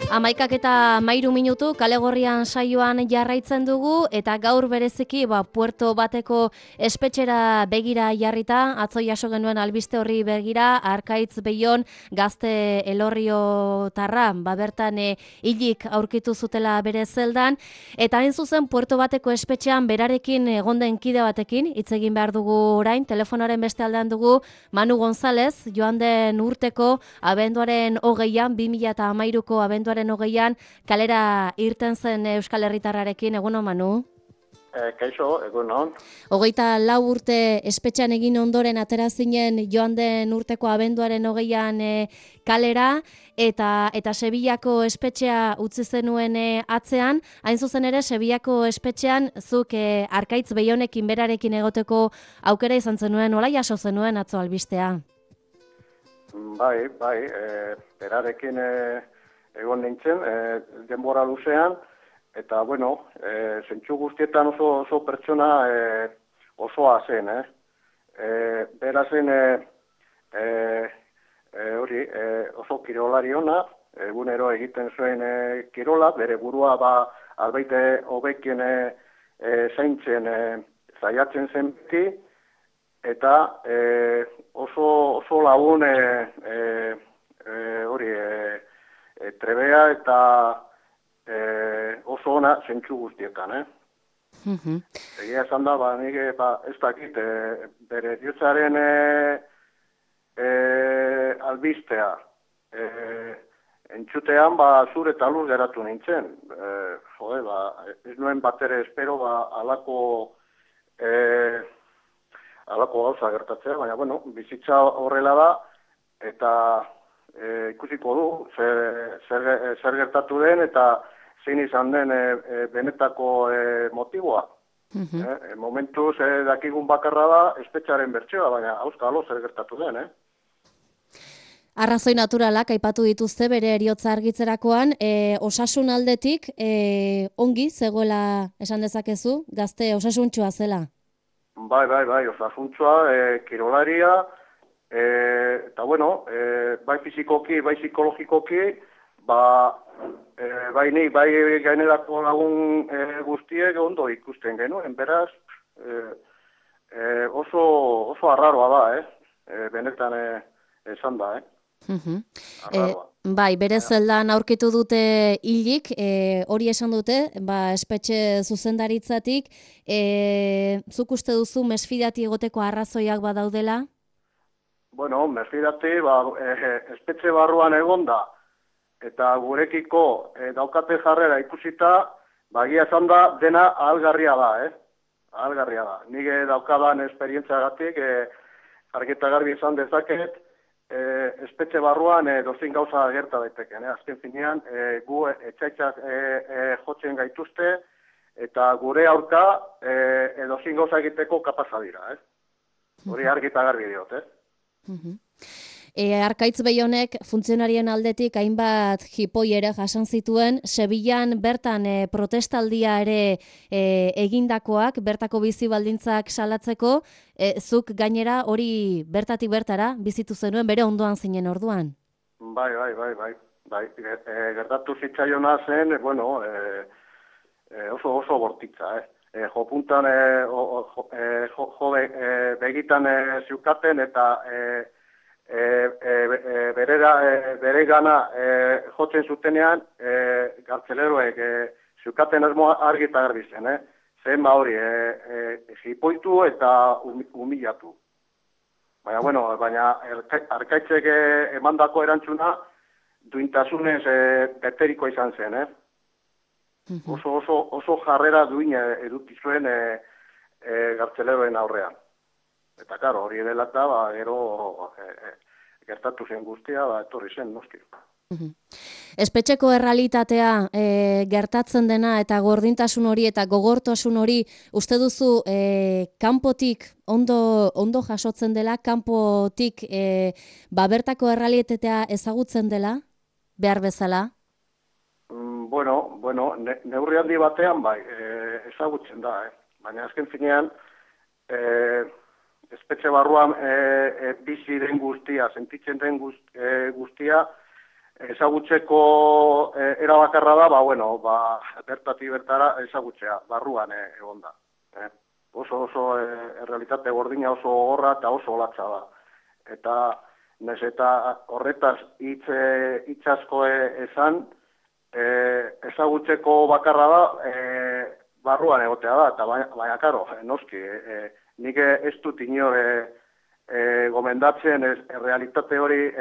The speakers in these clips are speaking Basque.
11:03 Kale Gorrian saioan jarraitzen dugu eta gaur bereziki Puerto bateko espetxera begira jarrita, atzo jaso genuen albiste horri begira, Arkaitz Beion gazte elorriotarra bertan hilik aurkitu zutela bere zeldan, eta hain zuzen Puerto bateko espetxean berarekin egon den kide batekin hitz egin behar dugu orain. Telefonoaren beste aldean dugu Manu González, joan den urteko abenduaren 20an, 2013ko abenduaren 20an, kalera irten zen Euskal Herritarrarekin. Egunon, Manu? Kaixo, egunon. 24 urte espetxean egin ondoren atera zinen joan den urteko abenduaren 20an kalera, eta Sevillako espetxea utzi zenuen atzean. Hain zuzen ere, Sevillako espetxean zuk Arkaitz Beionekin berarekin egoteko aukera izan zenuen, nola jaso zenuen atzo albistea? Bai, berarekin egon nintzen, denbora luzean, eta, bueno, zentsu guztietan oso pertsona osoa zen, Bera zen oso kirolari ona, egunero egiten zuen kirola, bere burua albaite hobekien zaintzen zaiatzen zen beti, eta oso lagun trebea eta oso ona zentsu guztietan, Egia esan da, nik ez dakit, bere diotzaren albistea entzutean, zur eta lur geratu nintzen. Ez nuen batere espero, alako gauza gertatzea, baina, bueno, bizitza horrela da, eta ikusiko du zer gertatu den, eta zein izan den benetako motiboa. Momentuz dakigun bakarra da espetxaren bertsioa, baina auskalo zer gertatu den, Arrazoi naturalak aipatu dituzte bere heriotza argitzerakoan, osasun aldetik ongi zegoela esan dezakezu, gazte osasuntxoa zela? Bai, osasuntxoa, kirolaria, eta bueno, bai fizikoki, bai psikologikoki, bai nik, bai gainerako lagun guztiek ondo ikusten genuen, beraz, oso arraroa da, benetan esan da, Bai, bere zeldan aurkitu dute hilik, hori esan dute, espetxe zuzendaritzatik, zuk uste duzu mesfidati egoteko arrazoiak badaudela? Bueno, mesfidati, espetxe barruan egonda, eta gurekiko daukate jarrera ikusita, egia esan da dena ahalgarria da, ahalgarria da. Nik daukadan esperientziagatik, argi eta garbi esan dezaket, espetxe barruan dozin gauza gerta daiteken. Azken finean, gu etxaitzak jotzen gaituzte, eta gure aurka dozin gauza egiteko kapaza dira. Hori argi eta garbi diot. Arkaitz Beionek funtzionarien aldetik hainbat jipoi ere jasan zituen, Sevillan bertan protestaldia ere egindakoak, bertako bizi baldintzak salatzeko, zuk gainera hori bertatik bertara bizitu zenuen bere ondoan zinen orduan? Bai. Gertatu zitzaiona zen, bueno, oso bortitza, Jopuntan begitan ziukaten eta bere gana jotzen zutenean, gartzeleroek ziukaten asmoa argi eta garbi zen, zen hori, jipoitu eta humilatu. Baina Arkaitzek emandako erantzuna duintasunez beteriko izan zen, Oso jarrera duina eduki zuen gartzeleroen aurrean. Eta, karo, hori dela eta, gero gertatu zen guztia, etorri zen, noski. Espetxeko errealitatea gertatzen dena eta gordintasun hori eta gogortasun hori uste duzu kanpotik ondo jasotzen dela, kanpotik bertako errealitatea ezagutzen dela, behar bezala? Bueno, neurri handi batean ezagutzen da, baina azken finean espetxe barruan bizi den guztia, sentitzen den guztia, ezagutzeko bakarra da, bertatik bertara ezagutzea, barruan egon da. Oso realitate gordina oso gogorra eta oso olatza da. Eta nez eta horretaz hitz asko esan, ezagutzeko bakarra da, barruan egotea da, eta baina karo, noski, nik ez dut inor gomendatzen realitate hori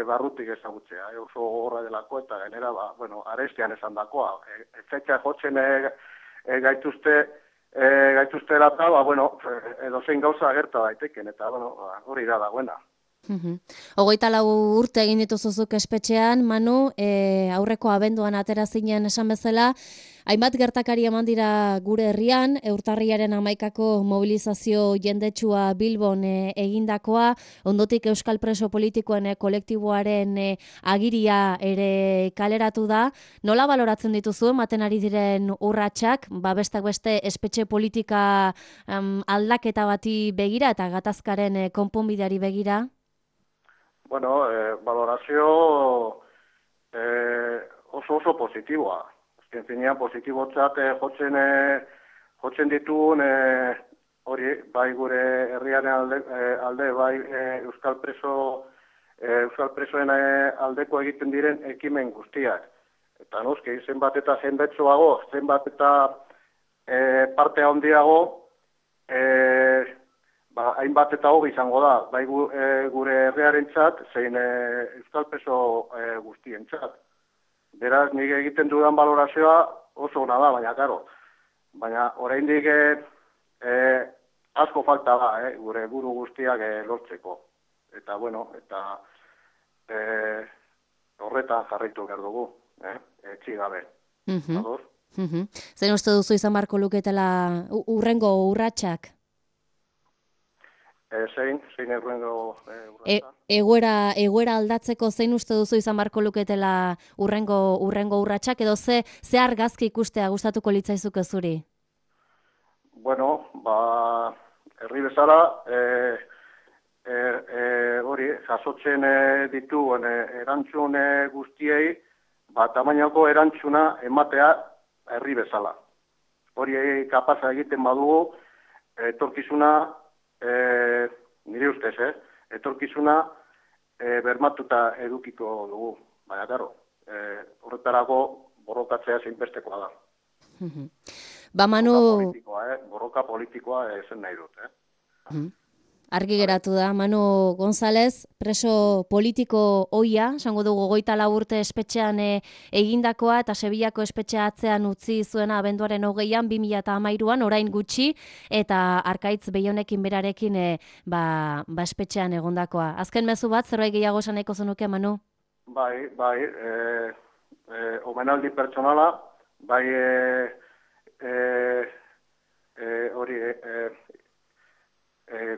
barrutik ezagutzea, oso gogorra delako eta genera, arestian esan dakoa. Etxetxa jotzen gaituzte erata, edozein gauza gerta daiteken, eta hori da dagoena. 24 urte egin dituzuzuk espetxean, Manu, aurreko abenduan atera zinen esan bezala, hainbat gertakari eman dira gure herrian, urtarriaren 11ko mobilizazio jendetsua Bilbon egindakoa, ondotik Euskal Preso Politikoen kolektiboaren agiria ere kaleratu da. Nola baloratzen dituzu, ematen ari diren urratsak, besteak beste espetxe politika aldaketa bati begira eta gatazkaren konponbideari begira? Valorazio oso positiboa. Azken finean positibotzat jotzen ditugun hori, bai gure herriaren alde, bai Euskal Presoen aldeko egiten diren ekimen guztiak. Eta noski, zenbat eta jendetsuago, zenbat eta parte handiago, hainbat eta hobi izango da, bai gure herriarentzat, zein Euskal Preso guztientzat. Beraz, nik egiten dudan balorazioa oso ona da, baina karo. Baina oraindik asko falta da, gure buru guztiak lortzeko. Eta, horretan jarraitu behar dugu, etxigabe. Zein uste duzu izan barko luketela urrengo urratsak? Zein urrengo urratsa? Egoera aldatzeko zein uste duzu izan barko luketela urrengo urratsak, edo ze argazki ikustea gustatuko litzaizuke zuri? Herri bezala, hori, jasotzen dituen erantzun guztiei, tamainako erantzuna ematea herri bezala. Hori kapaza egiten badugu, etorkizuna, nire ustez, etorkizuna bermatuta edukiko dugu. Baina, karo, horretarako borrokatzea zeinbestekoa da. Borroka politikoa zen nahi dut. Argi geratu da, Manu González, preso politiko ohia, esango dugu 24 urte espetxean egindakoa eta Sevillako espetxea atzean utzi zuena abenduaren 20an 2013an, orain gutxi, eta Arkaitz Beionekin berarekin espetxean egondakoa. Azken mezu bat, zerbait gehiago esan nahiko zenuke, Manu? Bai, omenaldi pertsonala, bai hori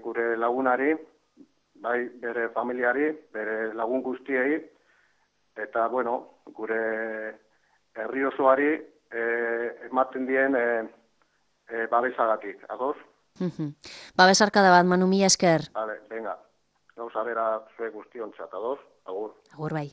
gure lagunari, bai bere familiari, bere lagun guztiei, eta, gure herri osoari ematen dien babesagatik, ados? Babesarkada bat, Manu, mila esker. Venga, gauza bera zue guztiontzat, ados? Agur. Agur bai.